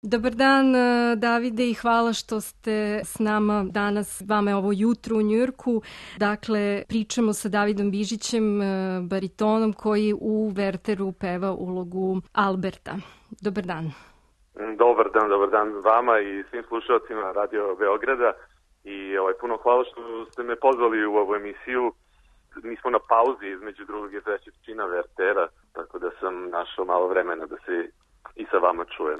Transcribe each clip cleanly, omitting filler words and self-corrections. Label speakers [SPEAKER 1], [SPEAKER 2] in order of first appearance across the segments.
[SPEAKER 1] Dobar dan, Davide, i hvala što ste s nama danas. Vama je ovo jutro u Njujorku. Dakle, pričamo sa Davidom Bižićem, baritonom koji u Wertheru peva ulogu Alberta. Dobar dan.
[SPEAKER 2] Dobar dan vama i svim slušalcima Radio Beograda. I puno hvala što ste me pozvali u ovu emisiju. Mi smo na pauzi između drugog i trećeg čina Werthera, tako da sam našao malo vremena da se i sa vama čujem.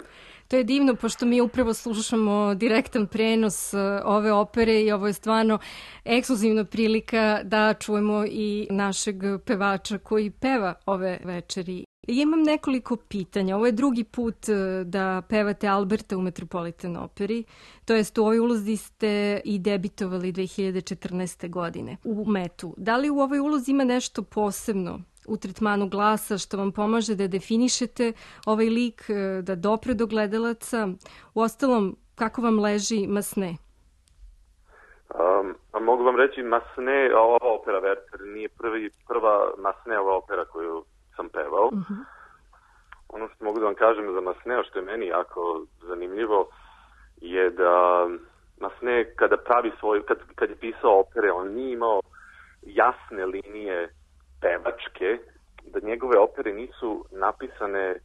[SPEAKER 1] To je divno, pošto mi upravo slušamo direktan prenos ove opere i ovo je stvarno ekskluzivna prilika da čujemo i našeg pevača koji peva ove večeri. Imam nekoliko pitanja. Ovo je drugi put da pevate Alberta u Metropolitan operi, to jest u ovoj ulozi ste i debitovali 2014. godine u Metu. Da li u ovoj ulozi ima nešto posebno u tretmanu glasa što vam pomaže da definišete ovaj lik, da dopre do gledalaca? Uostalom, kako vam leži Massenet?
[SPEAKER 2] Mogu vam reći, Massenet, ova opera Werther nije prva Massenetova opera koju sam pevao. Uh-huh. Ono što mogu da vam kažem za Masseneta, što je meni jako zanimljivo, je da Massenet kad je pisao opere, on nije imao jasne linije pevačke, da njegove opere nisu napisane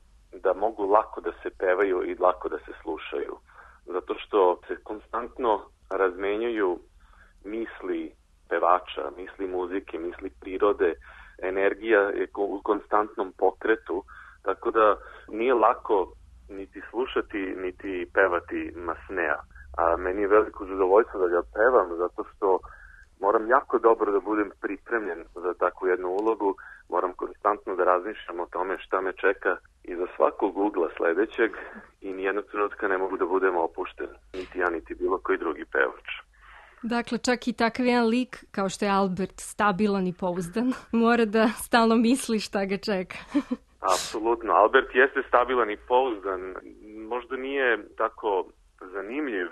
[SPEAKER 2] da mogu lako da se pevaju i lako da se slušaju. Zato što se konstantno razmenjuju misli pevača, misli muzike, misli prirode, energija je u konstantnom pokretu, tako da nije lako niti slušati, niti pevati Masseneta. A meni je veliko zadovoljstvo da ga pevam, zato što moram jako dobro da budem pripremljen za takvu jednu ulogu, moram konstantno da razmišljam o tome šta me čeka iza svakog ugla sledećeg i nijednog trenutka ne mogu da budem opušten, niti ja, niti bilo koji drugi pevač.
[SPEAKER 1] Dakle, čak i takav jedan lik, kao što je Albert, stabilan i pouzdan, mora da stalno misli šta ga čeka.
[SPEAKER 2] Apsolutno. Albert jeste stabilan i pouzdan. Možda nije tako zanimljiv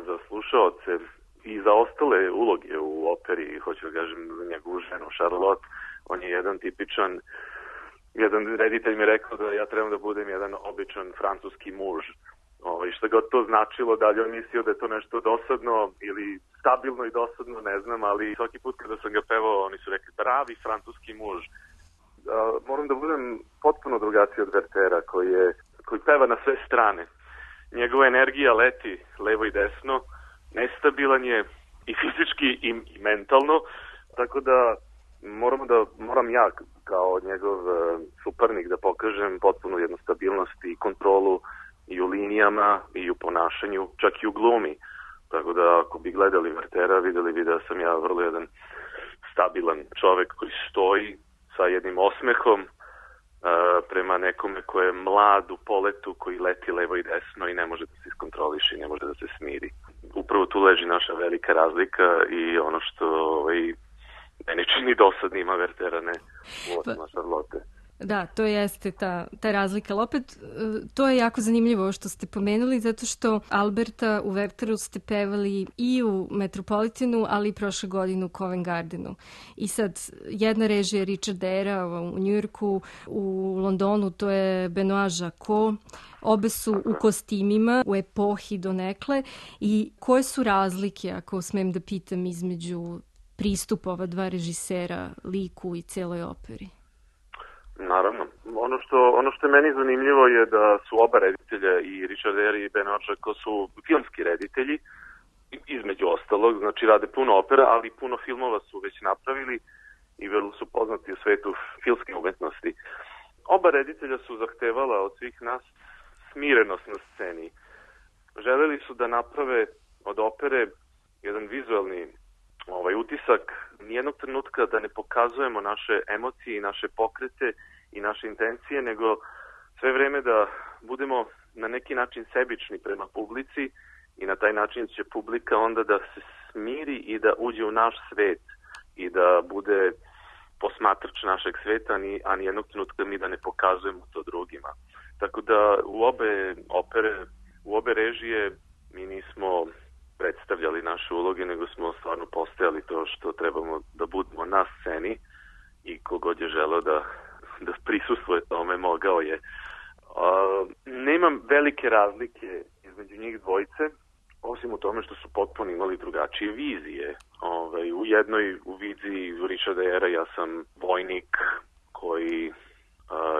[SPEAKER 2] za slušaoce i za ostale uloge u operi, hoću da kažem za njegovu ženu Charlotte. On je jedan tipičan, jedan reditelj mi je rekao da ja trebam da budem jedan običan francuski muž. Šta god to značilo, da li on mislio da je to nešto dosadno ili stabilno i dosadno, ne znam, ali svaki put kada sam ga pevao, oni su rekli pravi francuski muž. Moram da budem potpuno drugačiji od Werthera, koji peva na sve strane. Njegova energija leti levo i desno, nestabilan je i fizički i mentalno, tako da moram ja kao njegov suparnik da pokažem potpunu jednu stabilnost i kontrolu i u linijama, i u ponašanju, čak i u glumi. Tako da ako bi gledali Werthera, videli bi da sam ja vrlo jedan stabilan čovek koji stoji sa jednim osmehom prema nekome ko je mlad u poletu, koji leti levo i desno i ne može da se iskontroliše i ne može da se smiri. Upravo tu leži naša velika razlika i ono što meni čini dosadnima Werthera, ne u osma Charlotte.
[SPEAKER 1] Da, to jeste ta razlika. Ali opet, to je jako zanimljivo što ste pomenuli, zato što Alberta u Wertheru ste pevali i u Metropolitanu, ali i prošle godine u Covent Gardenu. I sad, jedna režija je Richard Era u Njujorku, u Londonu to je Benoit Jacot, obe su u kostimima, u epohi donekle. I koje su razlike, ako smem da pitam, između pristupa ova dva režisera, liku i celoj operi?
[SPEAKER 2] Naravno. Ono što je meni zanimljivo je da su oba reditelja, i Richard Eyre i Benoit Jacot, su filmski reditelji, između ostalog, znači rade puno opera, ali puno filmova su već napravili i vrlo su poznati u svetu filmske umetnosti. Oba reditelja su zahtevala od svih nas smirenost na sceni. Želeli su da naprave od opere jedan vizualni utisak, nijednog trenutka da ne pokazujemo naše emocije i naše pokrete i naše intencije, nego sve vreme da budemo na neki način sebični prema publici i na taj način će publika onda da se smiri i da uđe u naš svet i da bude posmatrač našeg sveta, a nijednog trenutka mi da ne pokazujemo to drugima. Tako da u obe opere, u obe režije mi nismo predstavljali naše uloge, nego smo stvarno postajali to što trebamo da budemo na sceni i kogod je želeo da prisustvuje tome mogao je. Nemam velike razlike između njih dvojice, osim u tome što su potpuno imali drugačije vizije. U jednoj u viziji Richarda Era ja sam vojnik koji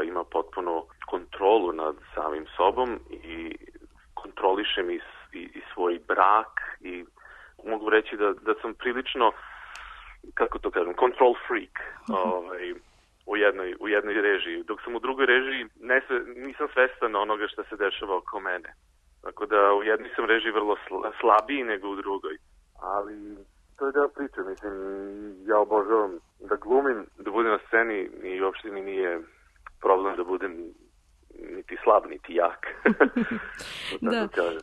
[SPEAKER 2] ima potpuno kontrolu nad samim sobom i kontrolišem i svoj brak i mogu reći da sam prilično, kako to kažem, control freak u jednoj režiji. Dok sam u drugoj režiji nisam svestan onoga što se dešava oko mene. Tako da u jednoj sam režiji vrlo slabiji nego u drugoj. Ali to je deo priče, mislim, ja obožavam da glumim, da budem na sceni i uopšte mi nije problem da budem niti slab, niti jak.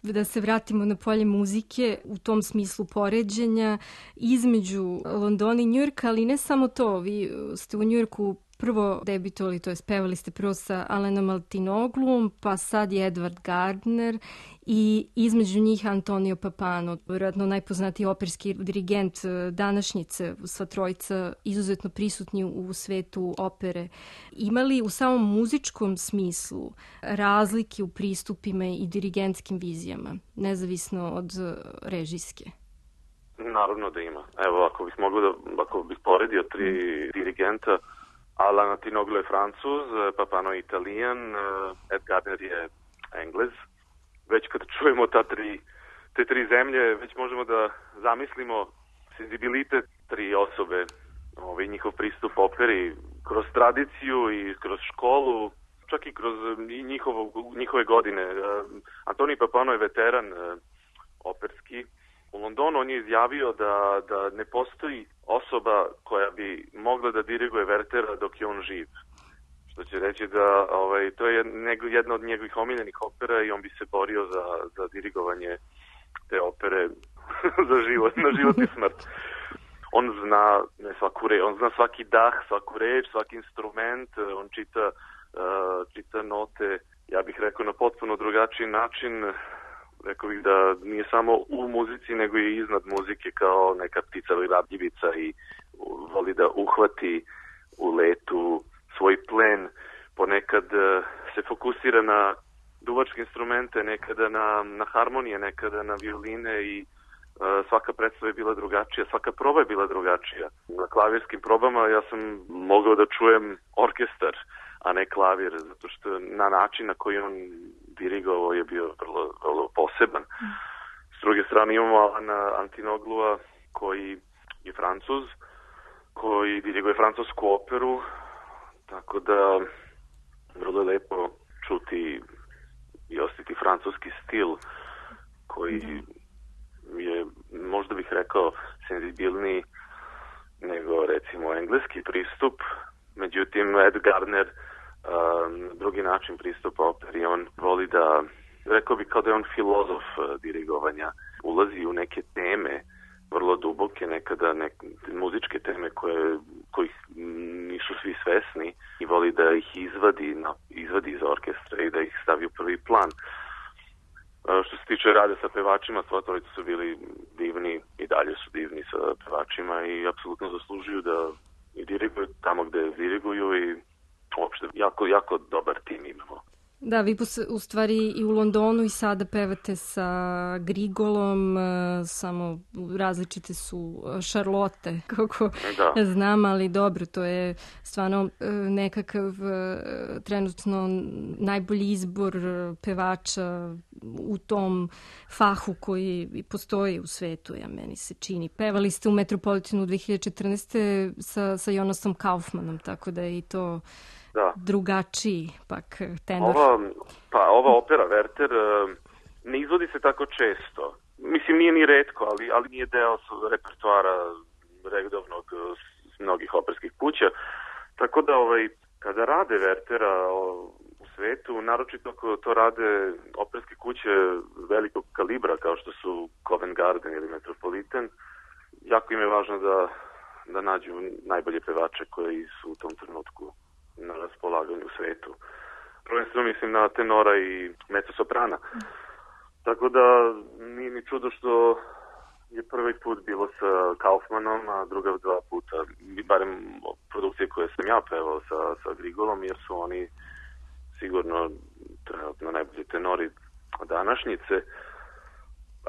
[SPEAKER 1] Da se vratimo na polje muzike u tom smislu poređenja između Londona i Njujorka, ali ne samo to. Vi ste u Njujorku prvo debitovali, to je pevali ste prvo sa Alanom Altinogluom, pa sad je Edward Gardner i između njih Antonio Papano, vjerojatno najpoznatiji operski dirigent današnjice, sva trojica izuzetno prisutni u svetu opere. Ima li u samom muzičkom smislu razlike u pristupima i dirigentskim vizijama, nezavisno od režijske?
[SPEAKER 2] Naravno da ima. Evo, ako bih poredio 3 dirigenta, Alan Altinoglu je Francuz, Papano je Italijan, Ed Gardner je Englez. Već kad čujemo te tri zemlje, već možemo da zamislimo senzibilitet 3 osobe, njihov pristup operi kroz tradiciju i kroz školu, čak i kroz njihove godine. Antonio Papano je veteran operski. U Londonu on je izjavio da ne postoji osoba koja bi mogla da diriguje Wertera dok je on živ. Što će reći da to je jedna od njegovih omiljenih opera i on bi se borio za dirigovanje te opere na život i smrt. On zna on zna svaki dah, svaku reč, svaki instrument, on čita note, ja bih rekao na potpuno drugačiji način. Rekao bih da nije samo u muzici, nego i iznad muzike kao neka ptica ili radljivica i voli da uhvati u letu svoj plen. Ponekad se fokusira na duvačke instrumente, nekada na harmonije, nekada na violine i svaka predstava je bila drugačija, svaka proba je bila drugačija. Na klavirskim probama ja sam mogao da čujem orkestar, a ne klavir, zato što na način na koji on dirigovao je bio vrlo, vrlo poseban. S druge strane imamo Alana Altinoglu koji je Francuz, koji diriguje francusku operu, tako da vrlo je lepo čuti i osjetiti francuski stil koji je, možda bih rekao, senzibilniji nego recimo engleski pristup. Međutim, Ed Gardner drugi način pristupa operi. On voli da, rekao bih kao da je on filozof dirigovanja. Ulazi u neke teme vrlo duboke, nekada muzičke teme kojih nisu svi svesni i voli da ih izvadi iz orkestra i da ih stavi u prvi plan. Što se tiče rada sa pevačima, sva trojica su bili divni i dalje su divni sa pevačima i apsolutno zaslužuju da i diriguju tamo gde diriguju i uopšte jako, jako dobar tim imamo.
[SPEAKER 1] Da, vi u stvari i u Londonu i sada pevate sa Grigolom, samo različite su šarlote, kako znam, ali dobro, to je stvarno nekakav trenutno najbolji izbor pevača u tom fahu koji postoji u svetu, meni se čini. Pevali ste u Metropolitanu 2014. sa Jonasom Kaufmanom, tako da je i to drugačiji pak tenor.
[SPEAKER 2] Ova opera Werther ne izvodi se tako često. Mislim, nije ni retko, ali nije deo repertoara redovnog mnogih operskih kuća. Tako da kada rade Werthera u svetu, naročito ako to rade operske kuće velikog kalibra kao što su Covent Garden ili Metropolitan, jako im je važno da nađu najbolje pevače koji su u tom trenutku na raspolaganju u svetu. Prvenstveno mislim na tenora i mezzosoprana. Tako da nije mi čudo što je prvi put bilo sa Kaufmanom, a druga 2 puta, barem produkcije koje sam ja pevao sa Grigolom, jer su oni sigurno trenutno najbolji tenori današnjice,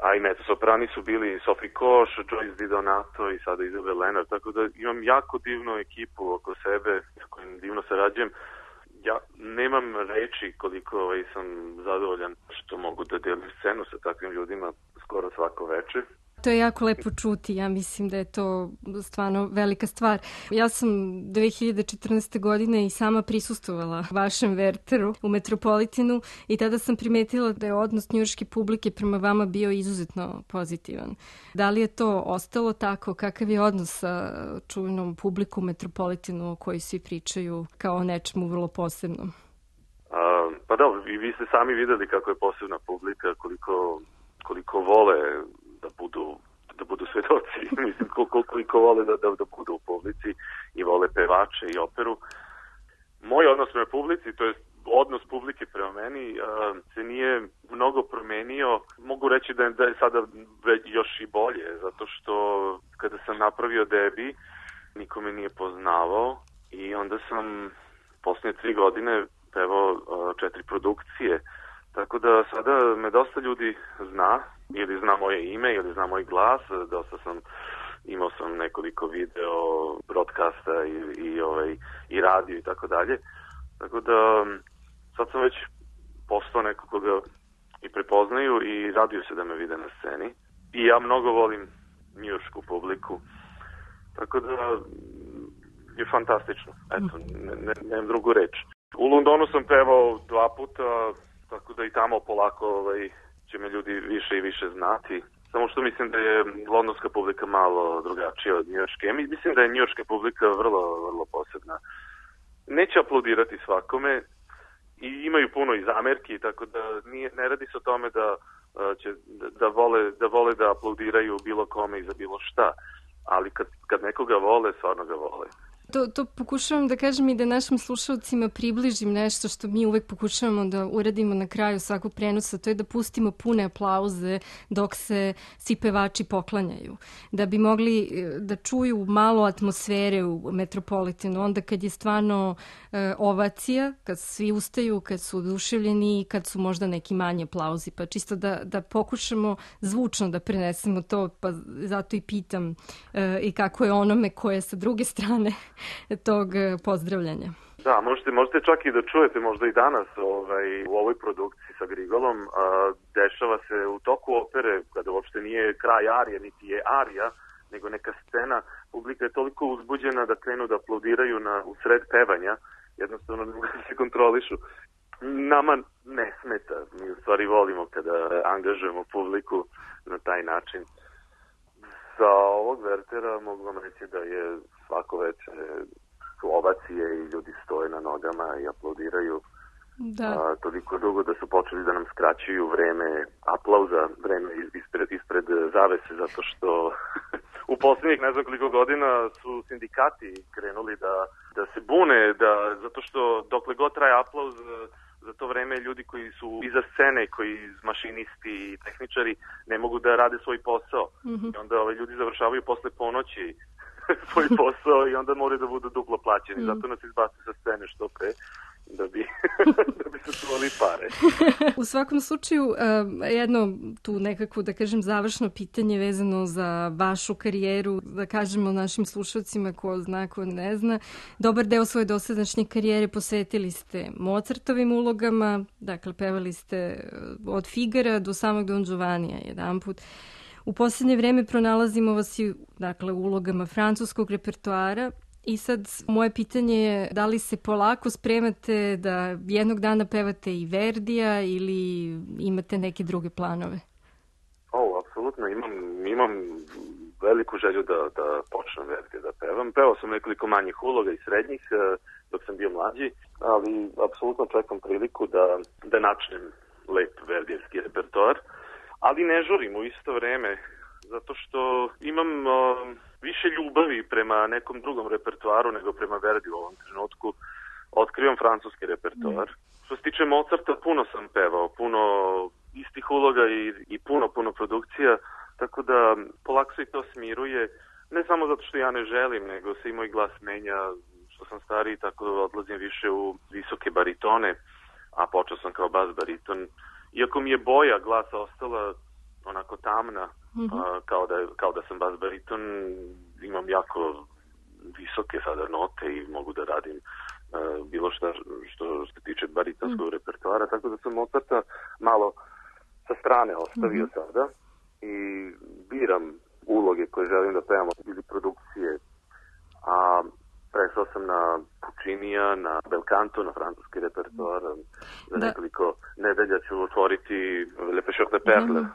[SPEAKER 2] a i mezzosoprani su bili Sophie Koš, Joyce Di Donato i sada Isabel Leonard, tako da imam jako divnu ekipu oko sebe s kojim divno sarađujem. Ja nemam reči koliko sam zadovoljan što mogu da delim scenu sa takvim ljudima skoro svako veče.
[SPEAKER 1] To je jako lepo čuti, ja mislim da je to stvarno velika stvar. Ja sam 2014. godine i sama prisustvovala vašem Wertheru u Metropolitanu i tada sam primetila da je odnos njujorške publike prema vama bio izuzetno pozitivan. Da li je to ostalo tako? Kakav je odnos sa čuvenom publikom u Metropolitanu o kojoj svi pričaju kao o nečemu vrlo posebnom?
[SPEAKER 2] Pa da, vi ste sami videli kako je posebna publika, koliko vole da budu svedoci, mislim koliko vole da budu u publici i vole pevače i operu. Moj odnos prema publici, to je odnos publike prema meni, se nije mnogo promenio. Mogu reći da je sada još i bolje, zato što kada sam napravio debi, niko me nije poznavao i onda sam posljednje 3 godine pevao 4 produkcije. Tako da sada me dosta ljudi zna, ili zna moje ime, ili zna moj glas, imao sam nekoliko video, broadcasta i radio i tako dalje. Tako da sad sam već postao neko koga i prepoznaju i raduju se da me vide na sceni. I ja mnogo volim njujoršku publiku, tako da je fantastično. Eto, nemam drugu reč. U Londonu sam pevao 2 puta, tako da i tamo polako će me ljudi više i više znati. Samo što mislim da je londonska publika malo drugačija od njujorške. Mislim da je njujorška publika vrlo, vrlo posebna. Neće aplaudirati svakome i imaju puno i zamerki, tako da ne radi se o tome da vole da aplaudiraju bilo kome i za bilo šta. Ali kad nekoga vole, stvarno ga vole.
[SPEAKER 1] To pokušavam da kažem i da našim slušalcima približim nešto što mi uvek pokušavamo da uradimo na kraju svakog prenosa, to je da pustimo pune aplauze dok se svi pevači poklanjaju. Da bi mogli da čuju malo atmosfere u Metropolitanu, onda kad je stvarno ovacija, kad svi ustaju, kad su oduševljeni i kad su možda neki manji aplauzi. Pa čisto da pokušamo zvučno da prenesemo to, pa zato i pitam i kako je onome koje sa druge strane tog pozdravljanja.
[SPEAKER 2] Da, možete čak i da čujete možda i danas u ovoj produkciji sa Grigolom. Dešava se u toku opere, kada uopšte nije kraj arije, niti je arija, nego neka scena. Publika je toliko uzbuđena da krenu da aplaudiraju u sred pevanja. Jednostavno ne mogu da se kontrolišu. Nama ne smeta. Mi u stvari volimo kada angažujemo publiku na taj način. Za ovog Werthera mogu vam reći da je svako večer su ovacije i ljudi stoje na nogama i aplaudiraju. Da. Toliko dugo da su počeli da nam skraćuju vreme aplauza, vreme ispred zavese, zato što u posljednjih ne znam koliko godina su sindikati krenuli da se bune, zato što dokle god traje aplauz, za to vreme ljudi koji su iza scene, koji mašinisti i tehničari ne mogu da rade svoj posao. Mm-hmm. I onda ljudi završavaju posle ponoći svoj posao i onda moraju da budu duplo plaćeni. Zato nas izbaci sa scene što pre, da bi se čuvali pare.
[SPEAKER 1] U svakom slučaju, jedno tu nekako, da kažem, završno pitanje vezano za vašu karijeru, da kažemo našim slušalcima ko zna, ko ne zna. Dobar deo svoje dosadašnje karijere posvetili ste Mozartovim ulogama, dakle, pevali ste od Figara do samog Don Giovannija jedanput. U posljednje vreme pronalazimo vas i, dakle, u ulogama francuskog repertoara. I sad, moje pitanje je da li se polako spremate da jednog dana pevate i Verdija ili imate neke druge planove?
[SPEAKER 2] Apsolutno. Imam veliku želju da počnem Verdija da pevam. Pevao sam nekoliko manjih uloga i srednjih dok sam bio mlađi, ali apsolutno čekam priliku da načnem lep verdijevski repertoar. Ali ne žurim u isto vreme, zato što imam više ljubavi prema nekom drugom repertoaru nego prema Verdi u ovom trenutku. Otkrivam francuski repertoar. Što se tiče Mozarta, puno sam pevao, puno istih uloga i puno produkcija, tako da polako se i to smiruje. Ne samo zato što ja ne želim, nego se i moj glas menja, što sam stariji, tako da odlazim više u visoke baritone. a počeo sam kao bas bariton. Iako mi je boja glasa ostala onako tamna, kao da sam bas bariton, imam jako visoke sada note i mogu da radim bilo što se tiče baritonskog repertoara, tako da sam Mozarta malo sa strane ostavio sada i biram uloge koje želim da pevam ili produkcije, a prešao sam na Puccinija, na Belcanto, na francuski repertoar. Za nekoliko nedelja ću otvoriti Le Pêcheur de Perles.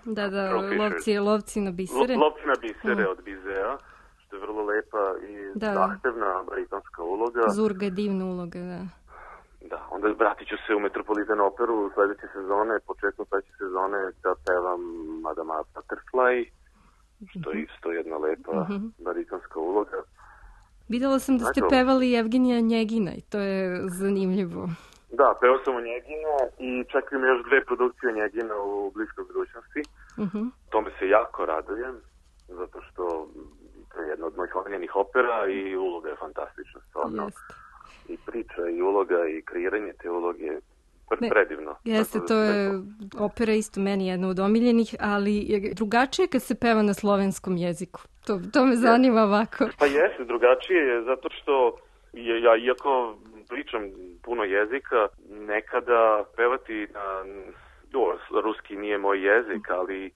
[SPEAKER 1] Lovci na bisere.
[SPEAKER 2] Lovci na bisere od Bizea, što je vrlo lepa i zahtevna baritonska uloga.
[SPEAKER 1] Zurga je divna uloga, da.
[SPEAKER 2] Da, onda vratit ću se u Metropolitan operu sledeće sezone, početkom sledeće sezone da pevam Madame Butterfly, što je isto jedna lepa baritonska uloga.
[SPEAKER 1] Videla sam da ste pevali Evgenija Njegina i to je zanimljivo.
[SPEAKER 2] Da, pevao sam o Njegina i čekam još 2 produkcije Njegina u bliskoj budućnosti. Tome se jako radujem, zato što to je jedna od mojih omiljenih opera i uloga je fantastična, stvarno. I priča, i uloga, i kreiranje te uloge predivno.
[SPEAKER 1] Jeste, to je opera isto meni jedna od omiljenih, ali je drugačije kad se peva na slovenskom jeziku. To me zanima ovako.
[SPEAKER 2] Pa jeste, drugačije je zato što ja, iako pričam puno jezika, nekada pevati na... ruski nije moj jezik, ali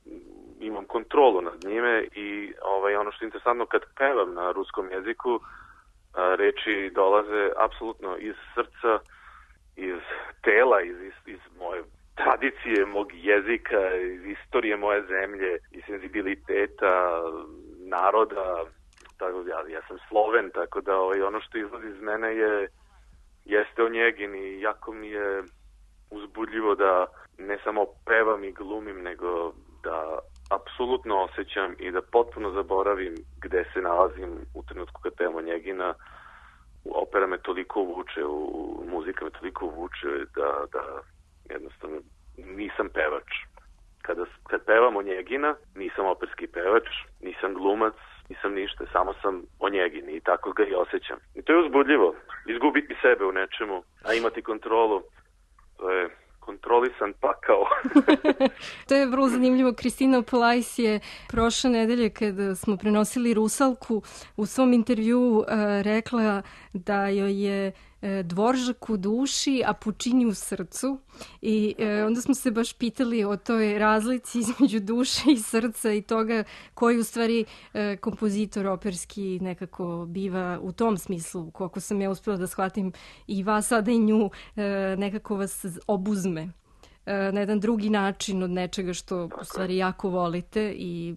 [SPEAKER 2] imam kontrolu nad njime i ono što je interesantno kad pevam na ruskom jeziku, reči dolaze apsolutno iz srca, iz tela, iz moje tradicije, mog jezika, iz istorije moje zemlje, iz senzibiliteta naroda. Tako, ja sam Sloven, tako da ono što izlazi iz mene jeste o Njegin i jako mi je uzbudljivo da ne samo pevam i glumim, nego da apsolutno osjećam i da potpuno zaboravim gde se nalazim u trenutku kad pevam o Njegina. Opera me toliko uvuče, muzika me toliko uvuče da jednostavno nisam pevač. Kad pevam o Njegina, nisam operski pevač, nisam glumac, nisam ništa, samo sam o Njegini i tako ga i osjećam. I to je uzbudljivo, izgubiti sebe u nečemu, a imati kontrolu, to je kontrolisan pakao.
[SPEAKER 1] To je vrlo zanimljivo. Kristina Polajs je prošle nedelje kada smo prenosili Rusalku u svom intervjuu rekla da joj je Dvoržak u duši, a Puccini u srcu. I onda smo se baš pitali o toj razlici između duše i srca i toga koji u stvari kompozitor operski nekako biva u tom smislu, koliko sam ja uspela da shvatim i vas sada i nju, nekako vas obuzme na jedan drugi način od nečega što u stvari jako volite i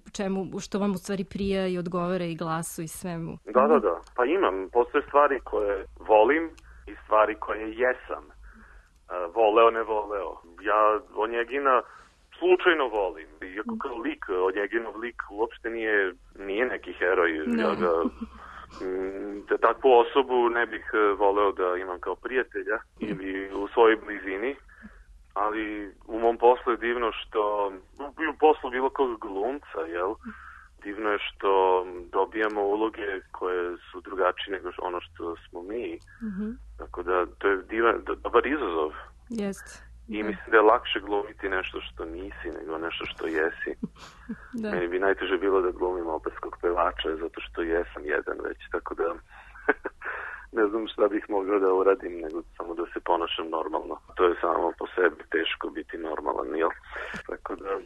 [SPEAKER 1] što vam u stvari prija i odgovara i glasu i svemu.
[SPEAKER 2] Da. Pa postoje stvari koje volim i stvari koje jesam. Voleo, ne voleo. Ja o Njegina slučajno volim. Iako kao lik, o Njeginov lik uopšte nije neki heroj. Ja ga, takvu osobu ne bih voleo da imam kao prijatelja ili u svojoj blizini. Ali u mom poslu je divno što, u poslu bilo kog glumca, divno je što dobijamo uloge koje su drugačije nego ono što smo mi. Tako da to je dobar izazov.
[SPEAKER 1] Jest.
[SPEAKER 2] I mislim da je lakše glumiti nešto što nisi nego nešto što jesi. Meni bi najteže bilo da glumim operskog pevača zato što jesam jedan već, tako da ne znam šta bih mogao da uradim nego samo da se ponašam normalno. To je samo po sebi teško biti normalan, jel? Tako da...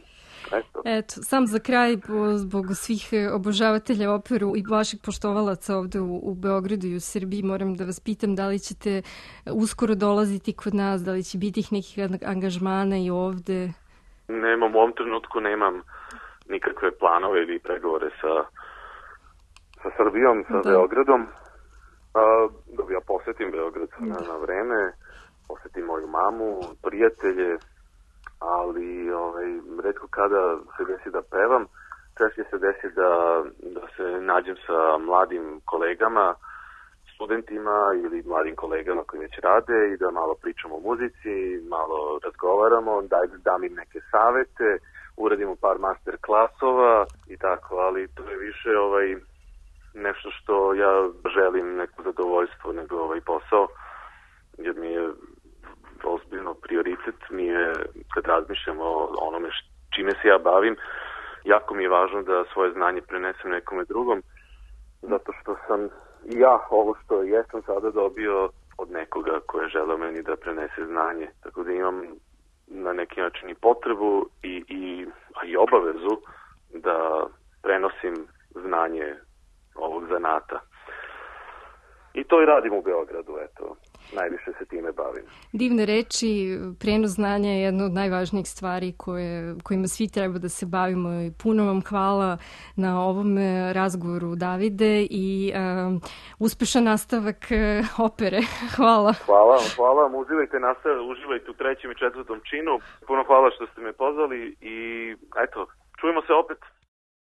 [SPEAKER 1] Eto, sam za kraj, zbog svih obožavatelja operu i vaših poštovalaca ovde u Beogradu i u Srbiji, moram da vas pitam da li ćete uskoro dolaziti kod nas, da li će biti nekih angažmana i ovde?
[SPEAKER 2] U ovom trenutku nemam nikakve planove ili pregovore sa Srbijom, sa Beogradom. Da ja posetim Beograd na vreme, posetim moju mamu, prijatelje, ali retko kada se desi da pevam, češće se desi da se nađem sa mladim kolegama, studentima ili mladim kolegama koji već rade i da malo pričamo o muzici, malo razgovaramo, dam im neke savete, uradimo par master klasova i tako, ali to je više nešto što ja želim, neko zadovoljstvo, nego posao, jer mi je ozbiljno prioritet mi je, kad razmišljam o onome čime se ja bavim, jako mi je važno da svoje znanje prenesem nekome drugom, zato što sam ja ovo što jesam sada dobio od nekoga ko je želeo meni da prenese znanje. Tako da imam na neki način i potrebu i obavezu da prenosim znanje ovog zanata. I to i radim u Beogradu, eto. Najviše se time bavim.
[SPEAKER 1] Divne reči, prenos znanja je jedna od najvažnijih stvari kojima svi treba da se bavimo i puno vam hvala na ovom razgovoru, Davide, i uspešan nastavak opere. Hvala.
[SPEAKER 2] Hvala vam, uživajte u 3. i 4. činu. Puno hvala što ste me pozvali i eto, čujemo se opet.